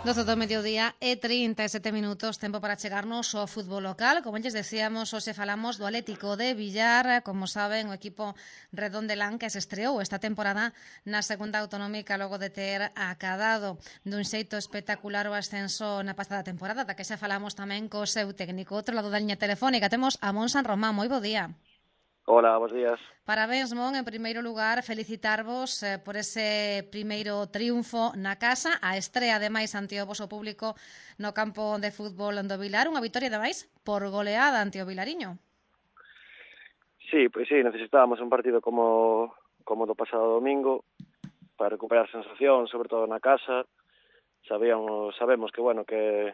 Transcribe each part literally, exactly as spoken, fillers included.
doce do mediodía e trinta e sete minutos, tempo para chegarnos ao fútbol local. Como lles decíamos, hoxe falamos do Atlético de Villar. Como saben, o equipo redondelán que se estreou esta temporada na segunda autonómica logo de ter acadado dun xeito espectacular o ascenso na pasada temporada, da que xa falamos tamén co seu técnico. Outro lado da liña telefónica temos a Mon San Román. Moi bo día. Hola, bons días. Parabéns, Mon, en primeiro lugar, felicitarvos eh, por ese primeiro triunfo na casa, a estrea, ademais, ante o voso público no campo de fútbol do Vilar, unha vitoria, ademais, por goleada ante o Vilariño. Sí, pois sí, necesitábamos un partido como como do pasado domingo para recuperar sensación, sobre todo na casa. Sabíamos, sabemos que, bueno, que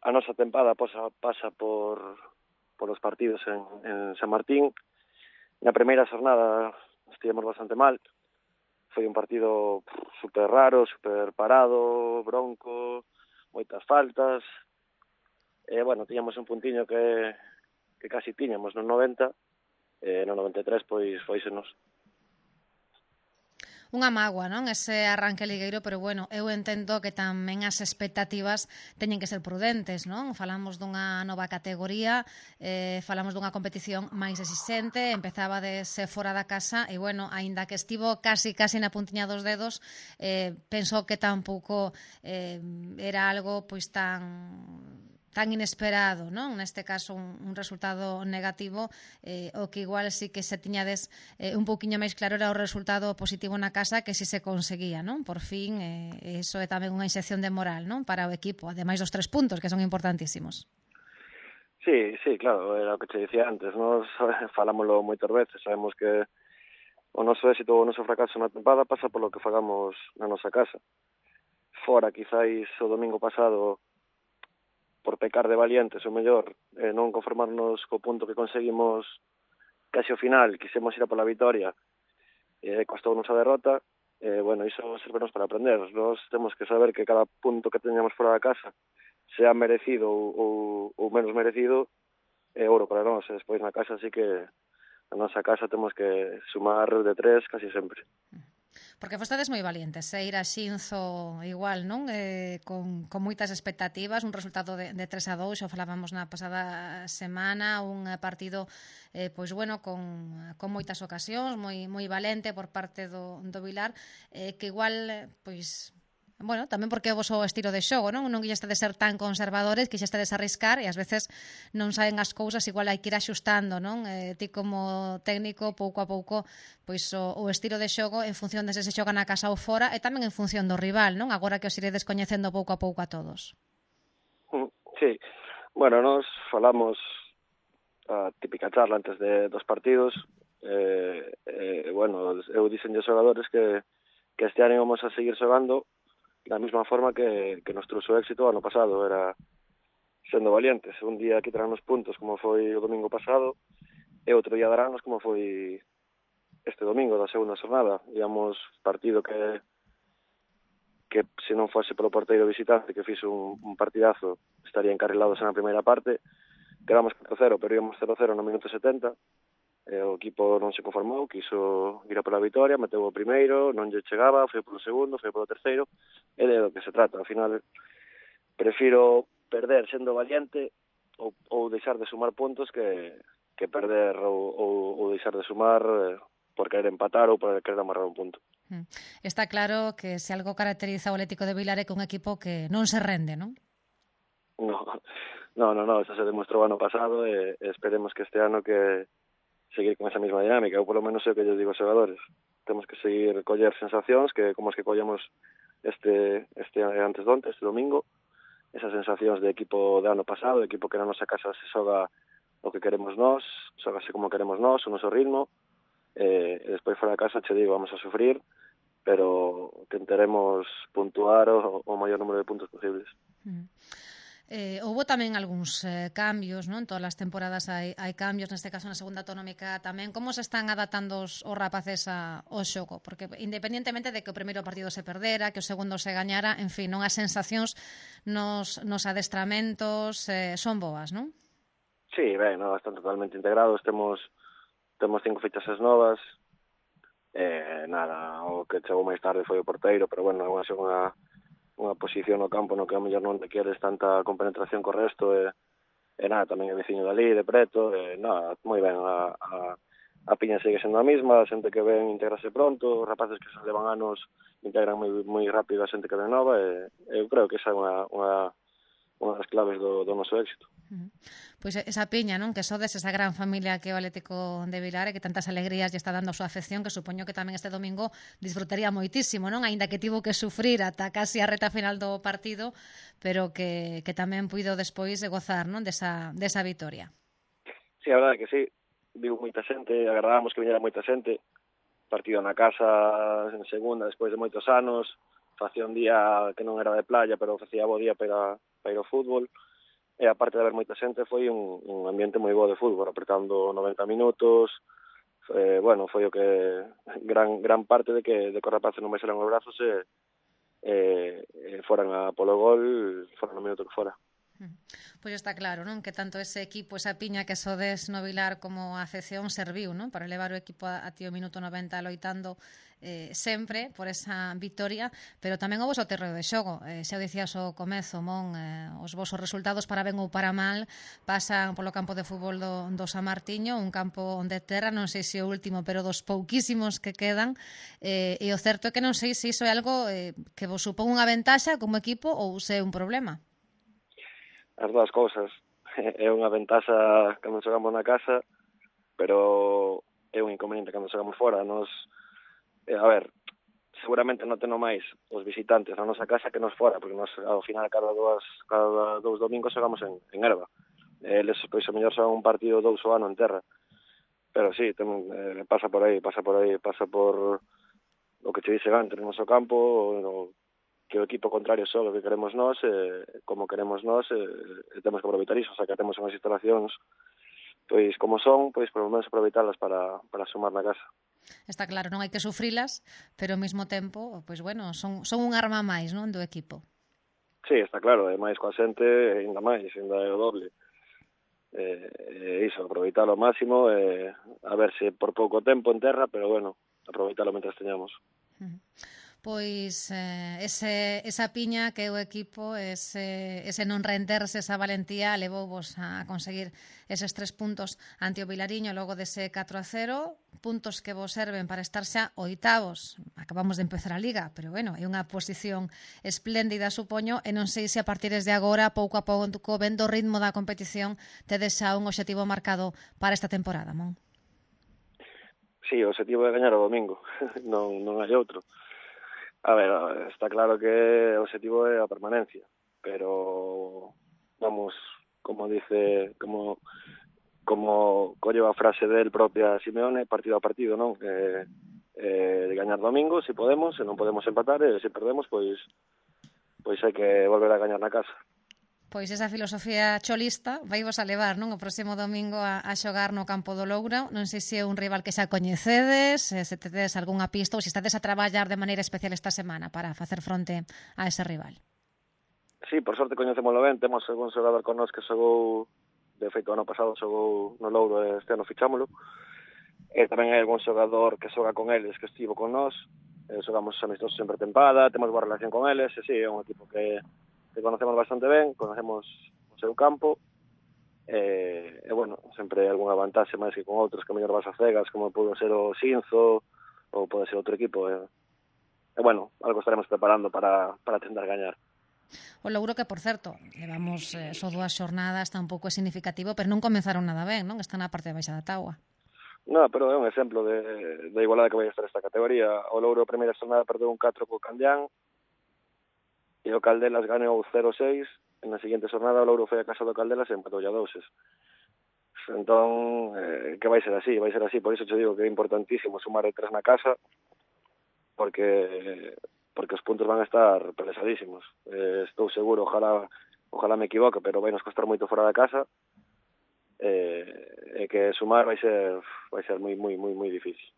a nosa tempada pasa, pasa por, por os partidos en, en San Martín. Na primeira xornada estivemos bastante mal. Foi un partido super raro, super parado, bronco, moitas faltas. E, bueno, tiñamos un puntiño que, que casi tiñamos no noventa, e no noventa e tres, pois, foisenos. Unha mágoa, non? Ese arranque ligueiro, pero bueno, eu entendo que tamén as expectativas teñen que ser prudentes, non? Falamos dunha nova categoría, eh, falamos dunha competición máis exixente, empezaba de ser fora da casa e, bueno, aínda que estivo casi, casi na puntiña dos dedos, eh, penso que tampouco eh, era algo pois tan tan inesperado, non? Neste caso un, un resultado negativo, eh, o que igual sí que se tiñades eh, un pouquiño máis claro era o resultado positivo na casa, que si se conseguía, non? Por fin, eh, iso é tamén unha inxección de moral, non? Para o equipo, ademais dos tres puntos, que son importantísimos. Sí, sí, claro, era o que te dicía antes, nos falámoslo moitas veces, sabemos que o noso éxito ou o noso fracaso na tempada pasa polo que fagamos na nosa casa. Fora, quizáis o domingo pasado, por pecar de valientes, o mellor, eh, non conformarnos co punto que conseguimos casi ao final, quisemos ir a pola vitoria, e eh, costounos a derrota, e, eh, bueno, iso servenos para aprender. Nós temos que saber que cada punto que teñamos fora da casa, sea merecido ou, ou, ou menos merecido, é ouro para nós. E despois na casa sí que na nosa casa temos que sumar de tres casi sempre. Porque fostades moi valientes, eh? Ir a Xinzo igual, non? Eh, con, con moitas expectativas, un resultado de, de tres a dous, xa falábamos na pasada semana, un partido eh, pois bueno, con, con moitas ocasións, moi moi valente por parte do, do Vilar, eh, que igual, pois bueno, tamén porque é o voso estilo de xogo, non? Non quixestades ser tan conservadores, quixestades arriscar e ás veces non saben as cousas, igual hai que ir axustando, non? Eh, ti como técnico, pouco a pouco, pois o, o estilo de xogo en función de se se xoga na casa ou fora e tamén en función do rival, non? Agora que os iredes coñecendo pouco a pouco a todos. Sí, bueno, nos falamos a típica charla antes de dos partidos, eh, eh, bueno, eu dixen de xogadores que, que este ano íbamos a seguir xogando da mesma forma que, que nos trouxo éxito ano pasado, era sendo valientes. Un día quitarán os puntos como foi o domingo pasado e outro día daránnos como foi este domingo da segunda xornada. Íamos partido que que se non fose polo porteiro visitante que fixo un, un partidazo estaría encarrilados na primeira parte. Quedamos catro cero, pero íamos cero cero no minuto setenta. E o equipo non se conformou, quiso ir a pola vitoria, meteu o primeiro, non lle chegaba, foi polo segundo, foi polo terceiro, e de do que se trata. Ao final, prefiro perder sendo valiente ou, ou deixar de sumar puntos que, que perder ou, ou, ou deixar de sumar eh, por querer empatar ou por querer amarrar un punto. Está claro que se algo caracteriza o Atlético de Vilar é que un equipo que non se rende, non? No, no, no, no, eso se demostrou ano pasado e, e esperemos que este ano que seguir con esa mesma dinámica, ou polo menos é o que eu digo aos xogadores. Temos que seguir coller sensacións que como as que collemos este este antes de onte, este domingo, esas sensacións de equipo de ano pasado, de equipo que na nosa casa se xoga o que queremos nós, xogase como queremos nós, o noso ritmo, e, e despois fora da casa, che digo, vamos a sufrir, pero tentaremos puntuar o, o maior número de puntos posibles. Mm. Eh, houve tamén algúns eh, cambios, non? En todas as temporadas hai, hai cambios, neste caso na segunda autonómica tamén. Como se están adaptando os, os rapaces a, ao xogo? Porque independentemente de que o primeiro partido se perdera, que o segundo se gañara, en fin, non as sensacións nos, nos adestramentos eh, son boas, non? Sí, ben, no, están totalmente integrados, temos temos cinco fichas novas, eh, nada, o que chegou máis tarde foi o porteiro, pero bueno, é unha segunda unha posición no campo no que a mellor non te queres tanta compenetración co resto, e, e nada, tamén é veciño dali, de preto, e nada, moi ben, a, a, a piña segue sendo a mesma, a xente que ven integrase pronto, os rapaces que se levan anos integran moi, moi rápido a xente que ven nova, e eu creo que esa é unha, unha, unha das claves do, do noso éxito. Uh-huh. Pois esa piña, non? Que sodes esa gran familia que é o Atlético de Vilar e que tantas alegrías lle está dando a súa afección, que supoño que tamén este domingo disfrutaría moitísimo, non? Aínda que tivo que sufrir ata casi a reta final do partido, pero que, que tamén puido despois de gozar, non? Desa, desa vitoria. Sí, a verdade que sí, viu moita xente, agardábamos que viñera moita xente, partido na casa en segunda despois de moitos anos, facía un día que non era de playa, pero facía bo día para, para ir ao fútbol, e aparte de haber moita xente foi un, un ambiente moi bo de fútbol, apretando noventa minutos, eh, bueno, foi o que gran gran parte de que de que os rapaces non baixaran os brazos e, e, e foran a polo gol, foran no minuto que fora. Pois está claro, non? Que tanto ese equipo, esa piña que sodes no Vilar como a afección serviu, non? Para levar o equipo a, a ti o minuto noventa loitando eh, sempre por esa victoria, pero tamén o voso terreo de xogo. Eh, xa o dicías ao comezo, Mon, eh, os vosos resultados para ben ou para mal pasan polo campo de fútbol do, do San Martiño, un campo onde terra, non sei se o último, pero dos pouquísimos que quedan, eh, e o certo é que non sei se iso é algo eh, que vos supón unha ventaxa como equipo ou se é un problema. As dúas cousas. É unha ventaxa cando xogamos na casa, pero é un inconveniente cando xogamos fora. Nos, eh, a ver, seguramente non teno máis os visitantes na nosa casa que nos fora, porque nos ao final cada dúas, cada dous domingos xogamos en, en Erva. Eles, pois, o mellor xogan un partido dous o ano en terra. Pero sí, ten, eh, pasa por aí, pasa por aí, pasa por o que che dixe antes, no noso campo, o, que o equipo contrario só o que queremos nós, eh, como queremos nós, eh, temos que aproveitar iso, o sea, que temos unhas instalacións pois como son, pois por lo menos aproveitalas para, para sumar na casa. Está claro, non hai que sufrilas, pero ao mesmo tempo, pois bueno, son, son un arma máis, non, do equipo. Sí, está claro, e máis coa xente, ainda máis, ainda é o doble. Eh, eh, iso, aproveitar ao máximo, eh, a ver se por pouco tempo en terra, pero bueno, aproveitarlo mentras teñamos. Uh-huh. Pois eh, ese, esa piña que o equipo, ese, ese non renderse, esa valentía levou vos a conseguir eses tres puntos ante o Vilariño logo dese catro a cero, puntos que vos serven para estar xa oitavos. Acabamos de empezar a Liga, pero bueno, é unha posición espléndida, supoño, e non sei se a partir de agora, pouco a pouco, vendo o ritmo da competición, tedes xa un obxectivo marcado para esta temporada, Mon? Sí, o objetivo é gañar o domingo, non, non hai outro. A ver, está claro que o objetivo é a permanencia, pero vamos, como dice, como como colle a frase del propia Simeone, partido a partido, non? Eh, eh, de gañar domingo, se si podemos, se non podemos empatar, e se perdemos, pois pois hai que volver a gañar na casa. Pois esa filosofía cholista vai vos a levar, non? O próximo domingo a, a xogar no campo do Louro. Non sei se é un rival que xa coñecedes, se tedes algunha pista ou se estades a traballar de maneira especial esta semana para facer fronte a ese rival. Sí, por sorte coñecémolo ben, temos algún xogador con nós que xogou, de feito, ano pasado xogou no Louro e este ano fichámolo, e tamén hai algún xogador que xoga con eles que estivo con nós, e xogamos amistosos en pretempada, temos boa relación con eles, e sí, é un equipo que que conocemos bastante ben, conocemos o seu campo, e, e bueno, sempre hai algunha vantaxe máis que con outros que mellor vas a cegas, como pode ser o Xinzo, ou pode ser outro equipo, e, e bueno, algo estaremos preparando para, para tentar gañar. O Louro que, por certo, levamos eh, só dúas xornadas, está un pouco significativo, pero non comenzaron nada ben, non? Están na parte de baixa da táboa. No, pero é un exemplo de, de igualada que vai estar esta categoría. O Louro a primeira xornada perdeu un catro co Candián, e o Caldelas ganou cero seis, e na seguinte xornada o Louro foi a casa do Caldelas e empatou a doses. Entón, eh, que vai ser así, vai ser así, por iso te digo que é importantísimo sumar de tres na casa, porque porque os puntos van a estar pesadísimos. Eh, estou seguro, ojalá ojalá me equivoque, pero vai nos costar moito fora da casa, e eh, eh, que sumar vai ser vai ser moi moi moi moi difícil.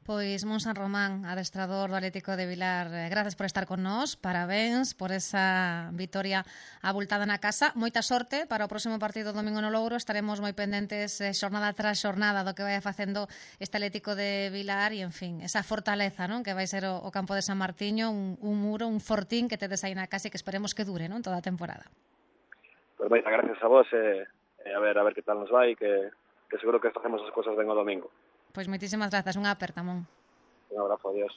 Pois Mon San Román, adestrador do Atlético de Vilar, eh, grazas por estar con nós, parabéns por esa vitoria abultada na casa. Moita sorte para o próximo partido domingo no Louro, estaremos moi pendentes eh, xornada tras xornada do que vai facendo este Atlético de Vilar e, en fin, esa fortaleza, non, que vai ser o, o campo de San Martiño, un, un muro, un fortín que tedes aí na casa e que esperemos que dure, non, toda a temporada. Pois moita gracias a vos e, e a ver a ver que tal nos vai, que, que seguro que facemos as cousas ben o domingo. Pois moitísimas grazas, unha aperta, Mon. Un abrazo, adiós.